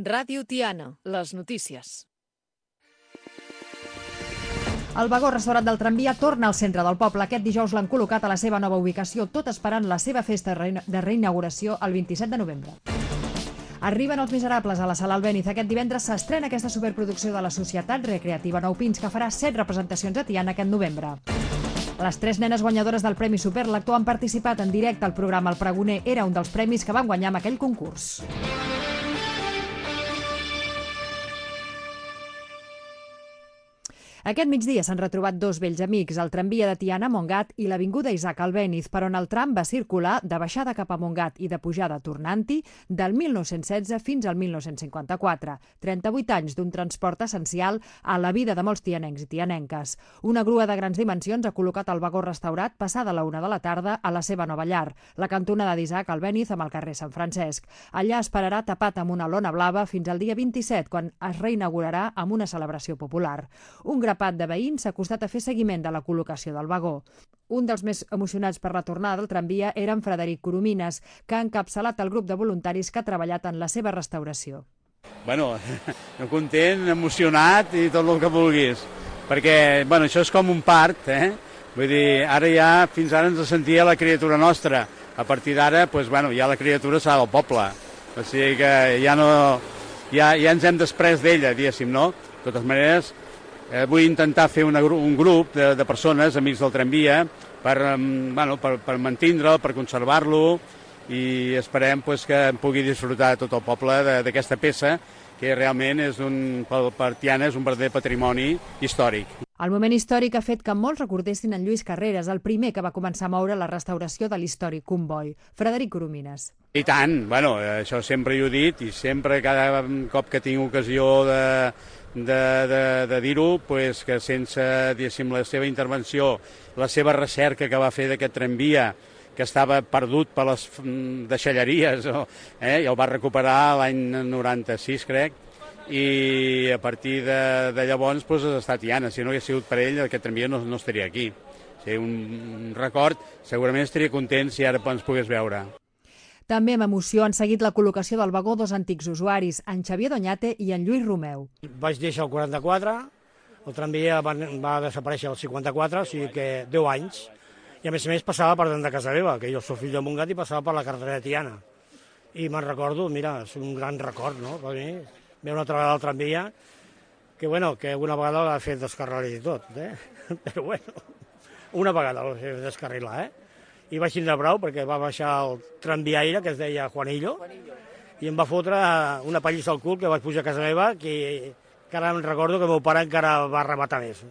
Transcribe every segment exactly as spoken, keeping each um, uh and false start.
Ràdio Tiana, les notícies. El vagó restaurat del tramvia torna al centre del poble. Aquest dijous l'han col·locat a la seva nova ubicació, tot esperant la seva festa de reinauguració el vint-i-set de novembre. Arriben Els Miserables a la Sala Albéniz. Aquest divendres s'estrena aquesta superproducció de la Societat Recreativa Nou Pins, que farà set representacions a Tiana aquest novembre. Les tres nenes guanyadores del Premi Superlector han participat en directe al programa El Pregoner. Era un dels premis que van guanyar amb aquell concurs. Aquest migdia s'han retrobat dos vells amics, el tramvia de Tiana a Montgat i l'avinguda Isaac Albéniz, per on el tram va circular de baixada cap a Montgat i de pujada tornant-hi del mil nou-cents setze fins al mil nou-cents cinquanta-quatre. trenta-vuit anys d'un transport essencial a la vida de molts tianencs i tianenques. Una grua de grans dimensions ha col·locat el vagó restaurat passada la una de la tarda a la seva nova llar, la cantonada d'Isaac Albéniz amb el carrer Sant Francesc. Allà esperarà tapat amb una lona blava fins al dia vint-i-set, quan es reinaugurarà amb una celebració popular. Un grapat de veïns s'ha acostat a fer seguiment de la col·locació del vagó. Un dels més emocionats per la tornada del tramvia era en Frederic Coromines, que ha encapçalat el grup de voluntaris que ha treballat en la seva restauració. Bueno, content, emocionat i tot el que vulguis, perquè bueno, això és com un part, eh? Vull dir, ara ja, fins ara ens sentia la criatura nostra, a partir d'ara, pues, bueno, ja la criatura serà del poble, o sigui que ja no, ja, ja ens hem desprès d'ella, diguéssim, no? De totes maneres, Eh, vull intentar fer una, un grup de, de persones, amics del tramvia, per, um, bueno, per, per mantindre'l, per conservar-lo, i esperem pues, que en pugui disfrutar tot el poble d'aquesta peça, que realment és un, per Tiana és un verdader patrimoni històric. El moment històric ha fet que molts recordessin en Lluís Carreras, el primer que va començar a moure la restauració de l'històric comboi. Frederic Coromines. I tant, bueno, això sempre hi he dit, i sempre, cada cop que tinc ocasió de... de, de, de dir-ho, pues, que sense la seva intervenció, la seva recerca que va fer d'aquest tramvia, que estava perdut per les deixalleries, eh, i el va recuperar l'any noranta-sis, crec, i a partir de, de llavors pues, ha estat Tiana. Si no hagués sigut per ell, aquest tramvia no, no estaria aquí. O sigui, un, un record, segurament estaria content si ara ens pogués veure. També amb emoció han seguit la col·locació del vagó dos antics usuaris, en Xavier Doñate i en Lluís Romeu. Vaig deixar el quaranta-quatre, el tramvia va, va desaparèixer el cinquanta-quatre, o sigui que deu anys, i a més a més passava per dalt de casa meva, que jo soc fill de Montgat i passava per la carretera de Tiana. I me'n recordo, mira, és un gran record, no?, per mi, veure una altra vegada el tramvia, que bueno, que una vegada l'ha fet descarrilar i tot, eh? Però bueno, una vegada l'ha fet descarrilar, eh? I vaig tindre brau perquè va baixar el tramviaire, que es deia Juanillo, Juanillo, i em va fotre una pallissa al cul que vaig pujar a casa meva, que, que ara em recordo que el meu pare encara va rematar més.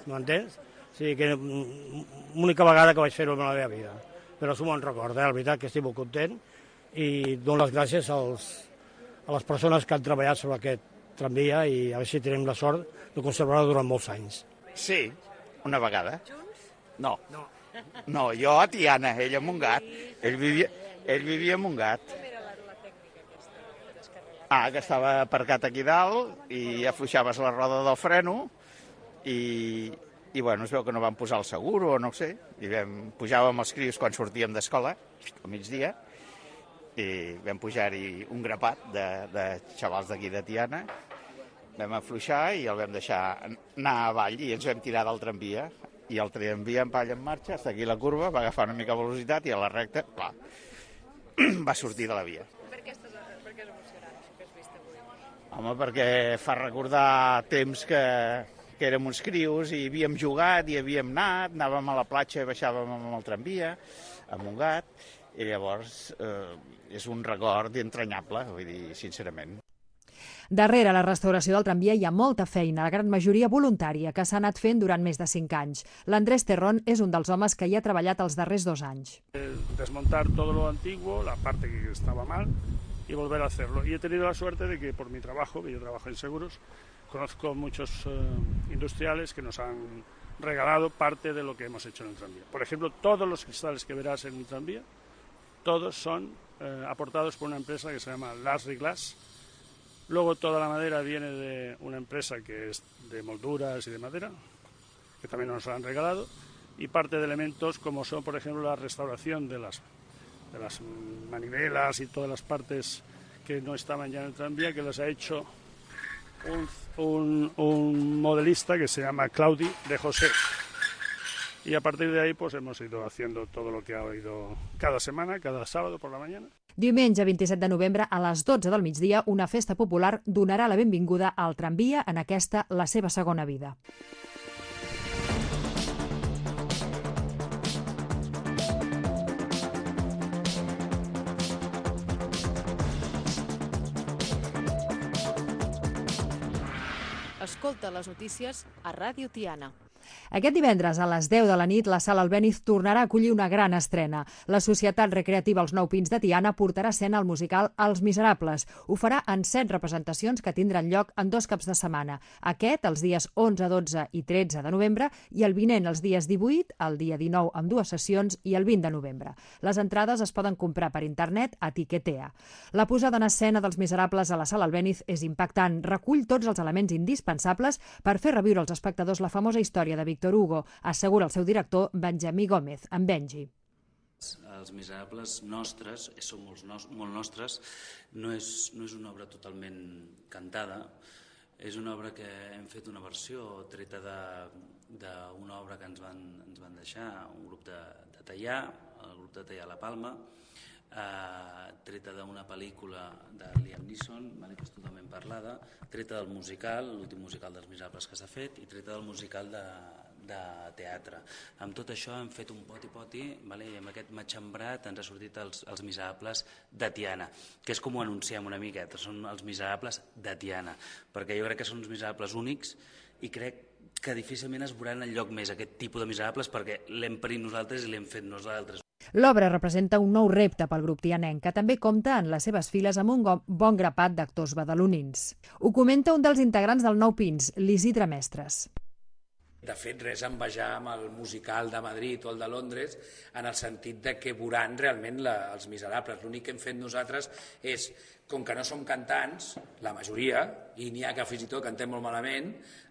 M'entens? O sigui que l'única vegada que vaig fer-ho en la meva vida. Però és un bon record, eh? La veritat que estic molt content i dono les gràcies als, a les persones que han treballat sobre aquest tramvia i a veure si tenim la sort de conservar-lo durant molts anys. Sí, una vegada. Junts? No. No. No, jo a Tiana, ell a Montgat. Ell vivia, ell vivia a Montgat. Com era la, la tècnica aquesta de descarrilar? Ah, que estava aparcat aquí dalt i afluixaves la roda del freno i, i bueno, es veu que no van posar el seguro o no sé, i vam, pujàvem els crios quan sortíem d'escola, al migdia, i vam pujar-hi un grapat de, de xavals d'aquí de Tiana, vam afluixar i el vam deixar anar avall i ens vam tirar del tramvia. I el tramvia en palla en marxa, està aquí la curva, va agafar una mica de velocitat i a la recta, clar, va sortir de la via. Per què, estàs, per què és emocionant això que has vist avui? Home, perquè fa recordar temps que, que érem uns crios i havíem jugat i havíem anat, anàvem a la platja i baixàvem amb el tramvia, a Montgat, i llavors eh, és un record entranyable, vull dir, sincerament. Darrere la restauració del tramvia hi ha molta feina, la gran majoria voluntària, que s'ha anat fent durant més de cinc anys. L'Andrés Terrón és un dels homes que hi ha treballat els darrers dos anys. Desmontar todo lo antiguo, la parte que estaba mal, y volver a hacerlo. Y he tenido la suerte de que por mi trabajo, que yo trabajo en seguros, conozco muchos uh, industriales que nos han regalado parte de lo que hemos hecho en el tranvía. Por ejemplo, todos los cristales que verás en el tranvía, todos son uh, aportados por una empresa que se llama Lasry Glass. Luego toda la madera viene de una empresa que es de molduras y de madera, que también nos han regalado, y parte de elementos como son, por ejemplo, la restauración de las, de las manivelas y todas las partes que no estaban ya en el tranvía, que las ha hecho un, un, un modelista que se llama Claudi de José. Y a partir de ahí pues hemos ido haciendo todo lo que ha ido cada semana, cada sábado por la mañana. Diumenge vint-i-set de novembre a les dotze del migdia, una festa popular donarà la benvinguda al tramvia en aquesta, la seva segona vida. Escolta les notícies a Ràdio Tiana. Aquest divendres a les deu de la nit la Sala Albéniz tornarà a acollir una gran estrena. La Societat Recreativa Els Nou Pins de Tiana portarà a escena el musical Els Miserables. Ho farà en set representacions que tindran lloc en dos caps de setmana. Aquest els dies onze, dotze i tretze de novembre i el vinent els dies divuit, el dia dinou amb dues sessions i el vint de novembre. Les entrades es poden comprar per internet a Tiquetea. La posada en escena dels Miserables a la Sala Albéniz és impactant. Recull tots els elements indispensables per fer reviure als espectadors la famosa història de Víctor Hugo, assegura el seu director Benjamí Gómez, en Benji. Els Miserables nostres, són molt, molt nostres, no és, no és una obra totalment cantada, és una obra que hem fet una versió treta d'una obra que ens van, ens van deixar, un grup de, de Teià, el grup de Teià La Palma, eh, treta d'una pel·lícula de Liam Neeson, vale, que és totalment parlada, treta del musical, l'últim musical dels Miserables que s'ha fet, i treta del musical de, de teatre. Amb tot això hem fet un poti-poti, vale, i amb aquest matxembrat ens ha sortit els, els Miserables de Tiana, que és com ho anunciem una miqueta, són els Miserables de Tiana, perquè jo crec que són uns Miserables únics i crec que difícilment es veuran enlloc més aquest tipus de Miserables perquè l'hem parit nosaltres i l'hem fet nosaltres. L'obra representa un nou repte pel grup tianenc, que també compta en les seves files amb un bon grapat d'actors badalonins. Ho comenta un dels integrants del Nou Pins, l'Isidre Mestres. De fet, res a envejar amb el musical de Madrid o el de Londres, en el sentit de que veuran realment la, els Miserables. L'únic que hem fet nosaltres és, com que no som cantants, la majoria, i n'hi ha que fins i tot cantem molt malament,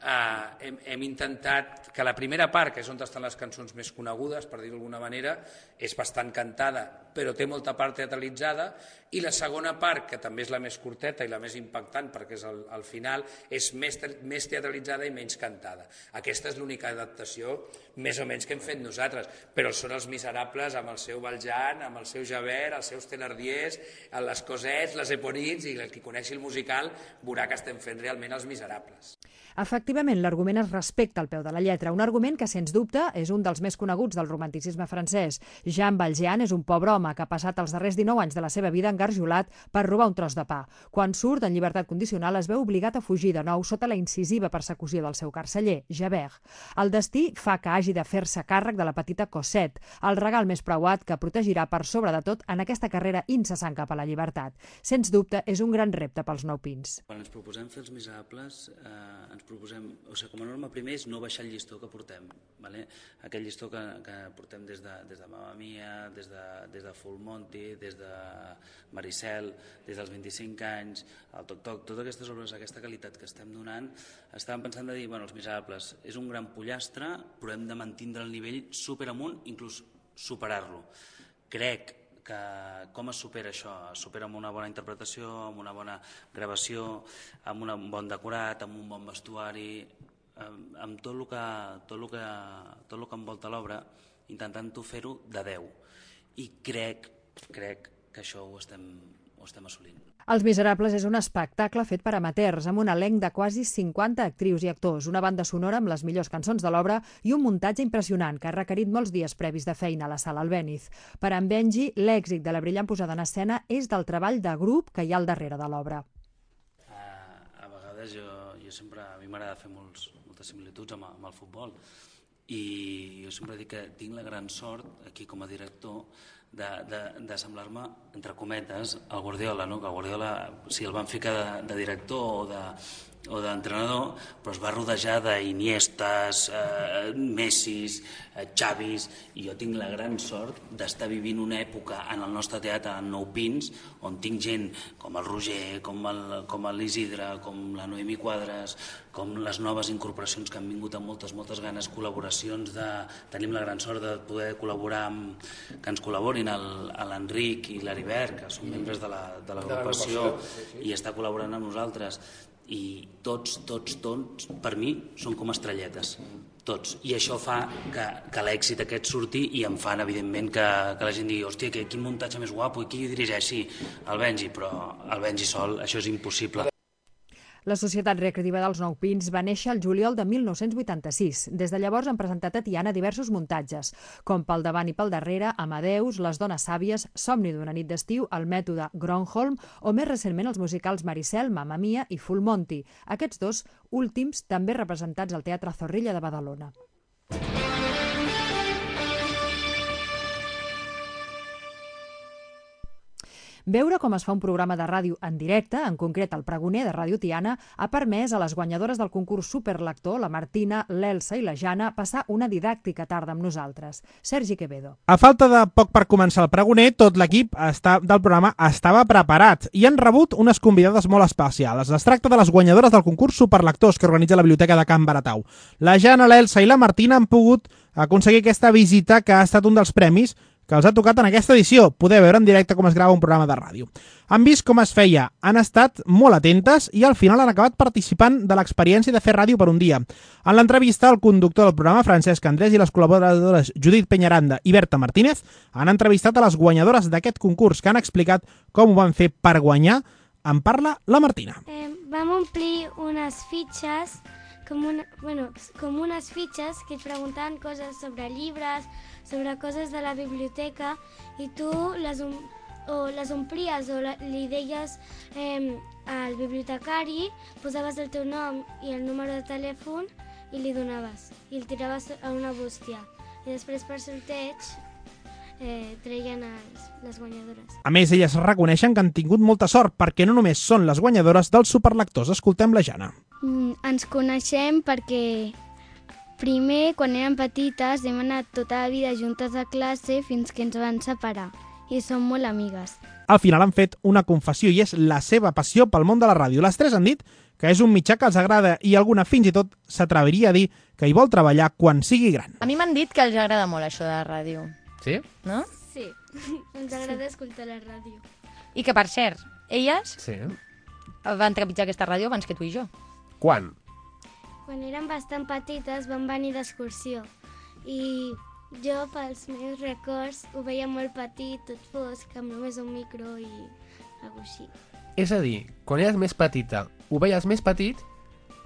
eh, hem, hem intentat que la primera part, que és on estan les cançons més conegudes, per dir-ho d'alguna manera, és bastant cantada, però té molta part teatralitzada, i la segona part, que també és la més curteta i la més impactant, perquè és el, el final, és més, més teatralitzada i menys cantada. Aquesta és l'única adaptació, més o menys, que hem fet nosaltres, però són els Miserables amb el seu Valjean, amb el seu Javert, els seus Thénardiers, les Cosets, les Eponins, i el qui coneixi el musical veurà que estem fent realment els Miserables. Efectivament, l'argument es respecta al peu de la lletra, un argument que, sens dubte, és un dels més coneguts del romanticisme francès. Jean Valjean és un pobre home que ha passat els darrers dinou anys de la seva vida engarjolat per robar un tros de pa. Quan surt en llibertat condicional es veu obligat a fugir de nou sota la incisiva persecució del seu carceller, Javert. El destí fa que hagi de fer-se càrrec de la petita Cosette, el regal més preuat que protegirà per sobre de tot en aquesta carrera incessant cap a la llibertat. Sens dubte, és un gran repte pels Nou Pins. Quan ens proposem fer els Miserables, eh, ens proposem, o sigui, com a norma primer és no baixar el llistó que portem, vale? Aquell llistó que, que portem des de, des de Mamma Mia, des de, des de Full Monty, des de Maricel, des dels vint-i-cinc anys, el Toc Toc, totes aquestes obres, aquesta qualitat que estem donant, estàvem pensant de dir, bueno, els Miserables és un gran pollastre, però hem de mantindre el nivell super amunt, inclús superar-lo. Crec que com es supera això? Es supera amb una bona interpretació, amb una bona gravació, amb un bon decorat, amb un bon vestuari, amb tot el que, tot el que, tot el que envolta l'obra, intentant-ho fer-ho de deu. I crec, crec que això ho estem, ho estem assolint. Els Miserables és un espectacle fet per amateurs, amb un elenc de quasi cinquanta actrius i actors, una banda sonora amb les millors cançons de l'obra i un muntatge impressionant que ha requerit molts dies previs de feina a la Sala Albéniz. Per en Benji, l'èxit de la brillant posada en escena és del treball de grup que hi ha al darrere de l'obra. Uh, a vegades jo, jo sempre, a mi m'agrada fer molts, moltes similituds amb, amb el futbol, i jo sempre dic que tinc la gran sort aquí com a director de, de, de semblar-me, entre cometes, al Guardiola, no? Que el Guardiola, si el van ficar de, de director o de, o d'entrenador, però es va rodejar d'Iniestes, eh, Messis, eh, Xavis, i jo tinc la gran sort d'estar vivint una època en el nostre teatre, en Nou Pins, on tinc gent com el Roger, com l'Isidre, com la Noemí Quadres, com les noves incorporacions que han vingut amb moltes, moltes ganes, col·laboracions, de, tenim la gran sort de poder col·laborar amb, que ens col·laborin, incorporin el- a l'Enric i l'Heribert, que són membres de la- de l'agrupació i està col·laborant amb nosaltres, i tots, tots, tots, per mi, són com estrelletes. Tots. I això fa que, que l'èxit aquest surti i em fan, evidentment, que, que la gent digui hòstia, que, quin muntatge més guapo, i qui dirigeix? Sí, el Benji, però el Benji sol, això és impossible. La Societat Recreativa dels Nou Pins va néixer el juliol de mil nou-cents vuitanta-sis. Des de llavors han presentat a Tiana diversos muntatges, com Pel davant i pel darrere, Amadeus, Les dones sàvies, Somni d'una nit d'estiu, El mètode Gronholm o més recentment els musicals Maricel, Mamma Mia i Full Monty. Aquests dos últims també representats al Teatre Zorrilla de Badalona. Veure com es fa un programa de ràdio en directe, en concret el Pregoner de Ràdio Tiana, ha permès a les guanyadores del concurs Superlector, la Martina, l'Elsa i la Jana, passar una didàctica tarda amb nosaltres. Sergi Quevedo. A falta de poc per començar el Pregoner, tot l'equip està- del programa estava preparat i han rebut unes convidades molt especials. Es tracta de les guanyadores del concurs Superlectors que organitza la Biblioteca de Can Baratau. La Jana, l'Elsa i la Martina han pogut aconseguir aquesta visita que ha estat un dels premis que els ha tocat en aquesta edició, poder veure en directe com es grava un programa de ràdio. Han vist com es feia, han estat molt atentes i al final han acabat participant de l'experiència de fer ràdio per un dia. En l'entrevista, el conductor del programa, Francesc Andrés, i les col·laboradores Judit Peñaranda i Berta Martínez han entrevistat a les guanyadores d'aquest concurs que han explicat com ho van fer per guanyar. En parla la Martina. Eh, vam omplir unes fitxes, com, una, bueno, com unes fitxes que et preguntaven coses sobre llibres, sobre coses de la biblioteca, i tu les, om o les omplies o la, li deies eh, al bibliotecari, posaves el teu nom i el número de telèfon i li donaves, i el tiraves a una bústia. I després per sorteig eh, treien els, les guanyadores. A més, elles reconeixen que han tingut molta sort perquè no només són les guanyadores dels superlectors. Escoltem la Jana. Mm, ens coneixem perquè primer, quan érem petites, hem anat tota la vida juntes a classe fins que ens van separar i som molt amigues. Al final han fet una confessió i és la seva passió pel món de la ràdio. Les tres han dit que és un mitjà que els agrada i alguna fins i tot s'atreviria a dir que hi vol treballar quan sigui gran. A mi m'han dit que els agrada molt això de la ràdio. Sí? No? Sí, ens agrada escoltar la ràdio. I que, per cert, elles Sí. van trepitjar aquesta ràdio abans que tu i jo. Quan? Quan érem bastant petites vam venir d'excursió i jo, pels meus records, ho veia molt petit, tot fosc, amb només un micro i alguna així. És a dir, quan eres més petita, ho veies més petit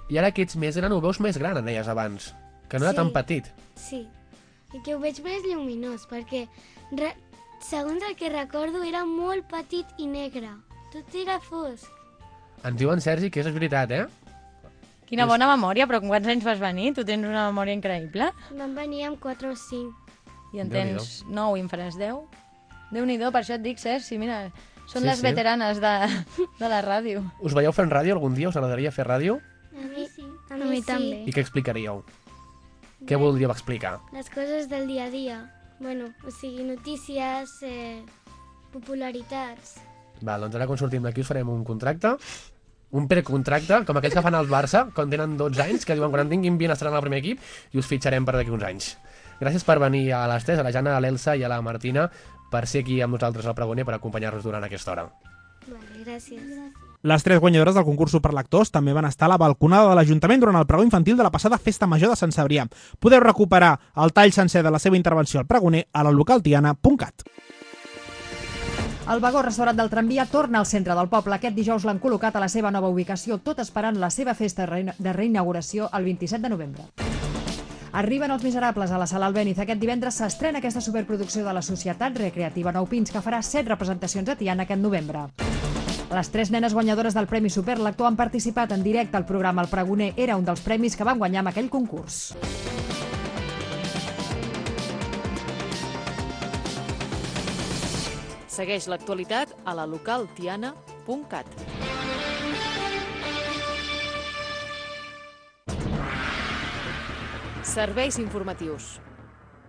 i ara que ets més gran ho veus més gran, en deies abans, que no era Sí. tan petit. Sí, i que ho veig més lluminós, perquè re... segons el que recordo era molt petit i negre, tot era fosc. Ens diuen, Sergi, que és veritat, eh? Quina bona memòria, però quants anys vas venir? Tu tens una memòria increïble. Vam venir amb quatre o cinc. I en tens nou i en faràs deu. Déu-n'hi-do, per això et dic, Sergi, mira, són Sí, les sí. veteranes de, de la ràdio. Us veieu fent ràdio algun dia? Us agradaria fer ràdio? A mi sí. A mi, sí. també. I què explicaríeu? Què voldríeu explicar? Les coses del dia a dia. Bueno, o sigui, notícies, eh, popularitats. Val, doncs ara quan sortim d'aquí us farem un contracte, un precontracte, com aquells que fan al Barça, quan tenen dotze anys, que diuen quan en tinguin vint estaran al primer equip, i us fitxarem per d'aquí uns anys. Gràcies per venir a les tres, a la Jana, a l'Elsa i a la Martina, per ser aquí amb nosaltres al Pregoner, per acompanyar-nos durant aquesta hora. Vale, gràcies. Les tres guanyadores del concurs Superlectors també van estar a la balconada de l'Ajuntament durant el pregó infantil de la passada Festa Major de Sant Cebrià. Podeu recuperar el tall sencer de la seva intervenció al Pregoner a la localtiana punt cat. El vagó restaurant del tramvia torna al centre del poble. Aquest dijous l'han col·locat a la seva nova ubicació, tot esperant la seva festa de reinauguració el vint-i-set de novembre. Arriben Els Miserables a la Sala Albéniz. Aquest divendres s'estrena aquesta superproducció de la Societat Recreativa Nou Pins, que farà set representacions a Tiana aquest novembre. Les tres nenes guanyadores del Premi Superlector han participat en directe al programa El Pregoner. Era un dels premis que van guanyar amb aquell concurs. Segueix l'actualitat a la local tiana punt cat. Serveis informatius.